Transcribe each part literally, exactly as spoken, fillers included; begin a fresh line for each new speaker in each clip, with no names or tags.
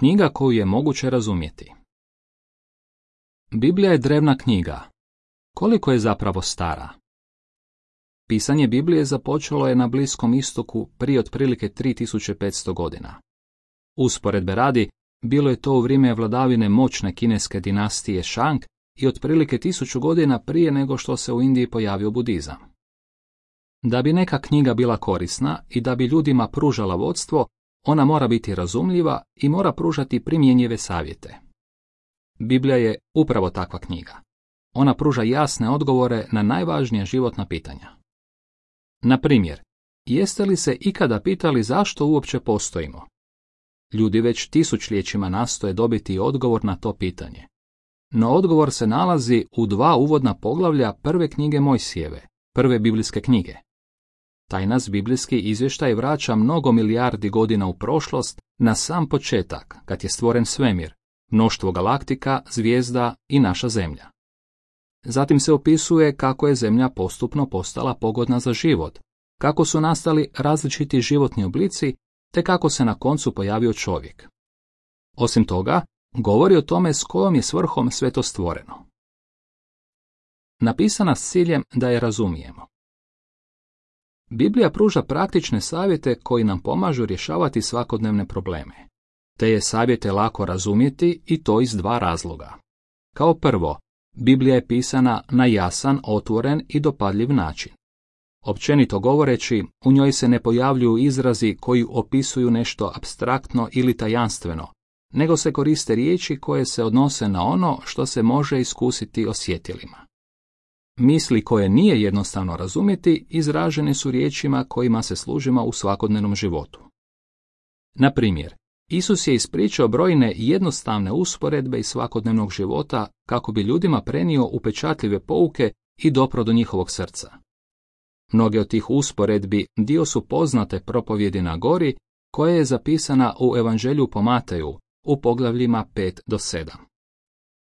Knjiga koju je moguće razumjeti. Biblija je drevna knjiga. Koliko je zapravo stara? Pisanje Biblije započelo je na Bliskom istoku prije otprilike tri tisuće petsto godina. Usporedbe radi, bilo je to u vrijeme vladavine moćne kineske dinastije Shang i otprilike tisuću godina prije nego što se u Indiji pojavio budizam. Da bi neka knjiga bila korisna i da bi ljudima pružala vodstvo, ona mora biti razumljiva i mora pružati primjenjive savjete. Biblija je upravo takva knjiga. Ona pruža jasne odgovore na najvažnija životna pitanja. Na primjer, jeste li se ikada pitali zašto uopće postojimo? Ljudi već tisućljećima nastoje dobiti odgovor na to pitanje. No odgovor se nalazi u dva uvodna poglavlja prve knjige Mojsijeve, prve biblijske knjige. Taj nas biblijski izvještaj vraća mnogo milijardi godina u prošlost na sam početak, kad je stvoren svemir, mnoštvo galaktika, zvijezda i naša zemlja. Zatim se opisuje kako je zemlja postupno postala pogodna za život, kako su nastali različiti životni oblici, te kako se na koncu pojavio čovjek. Osim toga, govori o tome s kojom je svrhom sve to stvoreno. Napisana s ciljem da je razumijemo. Biblija pruža praktične savjete koji nam pomažu rješavati svakodnevne probleme. Te je savjete lako razumjeti i to iz dva razloga. Kao prvo, Biblija je pisana na jasan, otvoren i dopadljiv način. Općenito govoreći, u njoj se ne pojavljuju izrazi koji opisuju nešto apstraktno ili tajanstveno, nego se koriste riječi koje se odnose na ono što se može iskusiti osjetilima. Misli koje nije jednostavno razumjeti izražene su riječima kojima se služimo u svakodnevnom životu. Na primjer, Isus je ispričao brojne jednostavne usporedbe iz svakodnevnog života kako bi ljudima prenio upečatljive pouke i dopro do njihovog srca. Mnoge od tih usporedbi dio su poznate propovjedi na gori koja je zapisana u Evanđelju po Mateju u poglavljima pet do sedam.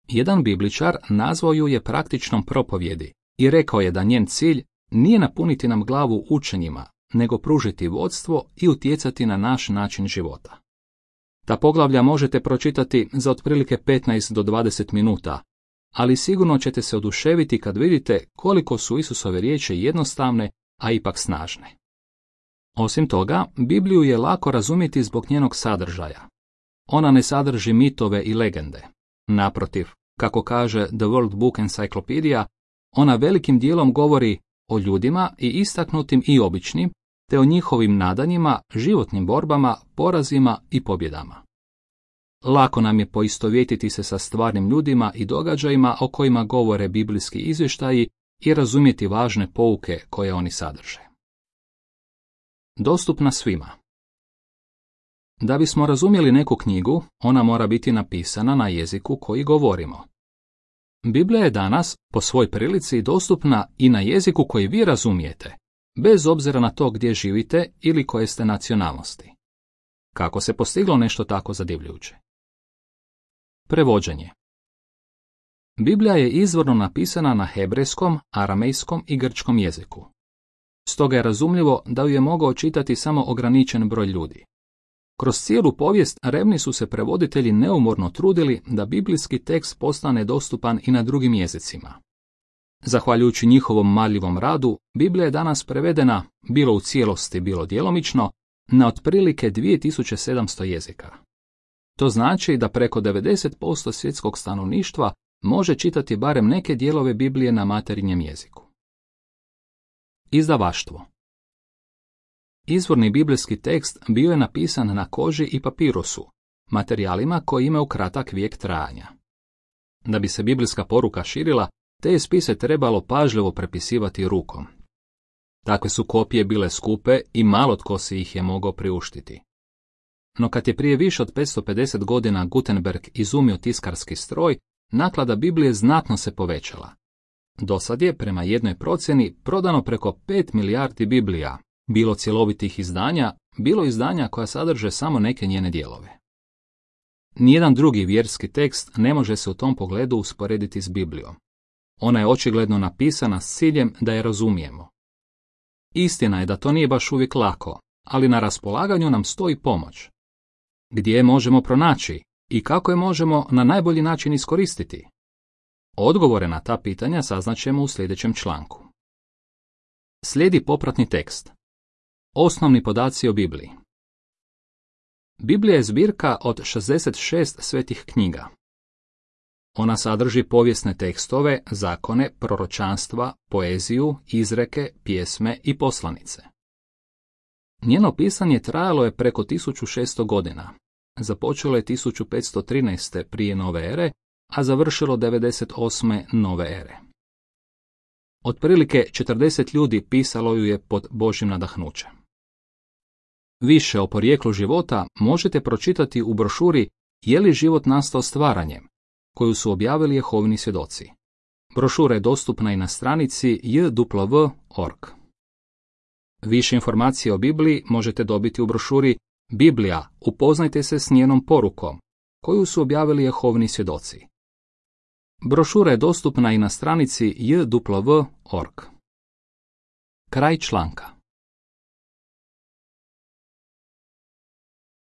Jedan bibličar nazvao ju je praktičnom propovjedi i rekao je da njen cilj nije napuniti nam glavu učenjima, nego pružiti vodstvo i utjecati na naš način života. Ta poglavlja možete pročitati za otprilike petnaest do dvadeset minuta, ali sigurno ćete se oduševiti kad vidite koliko su Isusove riječi jednostavne, a ipak snažne. Osim toga, Bibliju je lako razumjeti zbog njenog sadržaja. Ona ne sadrži mitove i legende. Naprotiv, kako kaže The World Book Encyclopedia, ona velikim dijelom govori o ljudima i istaknutim i običnim, te o njihovim nadanjima, životnim borbama, porazima i pobjedama. Lako nam je poistovjetiti se sa stvarnim ljudima i događajima o kojima govore biblijski izvještaji i razumjeti važne pouke koje oni sadrže. Dostupna svima. Da bismo razumjeli neku knjigu, ona mora biti napisana na jeziku koji govorimo. Biblija je danas, po svoj prilici, dostupna i na jeziku koji vi razumijete, bez obzira na to gdje živite ili koje ste nacionalnosti. Kako se postiglo nešto tako zadivljujuće? Prevođenje. Biblija je izvorno napisana na hebrejskom, aramejskom i grčkom jeziku. Stoga je razumljivo da ju je mogao čitati samo ograničen broj ljudi. Kroz cijelu povijest revni su se prevoditelji neumorno trudili da biblijski tekst postane dostupan i na drugim jezicima. Zahvaljujući njihovom marljivom radu, Biblija je danas prevedena, bilo u cijelosti, bilo djelomično, na otprilike dvije tisuće sedamsto jezika. To znači da preko devedeset posto svjetskog stanovništva može čitati barem neke dijelove Biblije na materinjem jeziku. Izdavaštvo. Izvorni biblijski tekst bio je napisan na koži i papirusu, materijalima koji imaju kratak vijek trajanja. Da bi se biblijska poruka širila, te je spise trebalo pažljivo prepisivati rukom. Takve su kopije bile skupe i malo tko si ih je mogao priuštiti. No kad je prije više od petsto pedeset godina Gutenberg izumio tiskarski stroj, naklada Biblije znatno se povećala. Dosad je, prema jednoj procjeni, prodano preko pet milijardi Biblija, bilo cjelovitih izdanja, bilo izdanja koja sadrže samo neke njene dijelove. Nijedan drugi vjerski tekst ne može se u tom pogledu usporediti s Biblijom. Ona je očigledno napisana s ciljem da je razumijemo. Istina je da to nije baš uvijek lako, ali na raspolaganju nam stoji pomoć. Gdje je možemo pronaći i kako je možemo na najbolji način iskoristiti? Odgovore na ta pitanja saznaćemo u sljedećem članku. Slijedi popratni tekst. Osnovni podaci o Bibliji. Biblija je zbirka od šezdeset šest svetih knjiga. Ona sadrži povijesne tekstove, zakone, proročanstva, poeziju, izreke, pjesme i poslanice. Njeno pisanje trajalo je preko tisuću šesto godina. Započelo je tisuću petsto trinaeste prije nove ere, a završilo devedeset osme nove ere. Otprilike četrdeset ljudi pisalo ju je pod Božjim nadahnućem. Više o porijeklu života možete pročitati u brošuri Je li život nastao stvaranjem, koju su objavili Jehovini svjedoci. Brošura je dostupna i na stranici j w w dot org. Više informacije o Bibliji možete dobiti u brošuri Biblija, upoznajte se s njenom porukom, koju su objavili Jehovini svjedoci. Brošura je dostupna i na stranici j w w dot org. Kraj članka.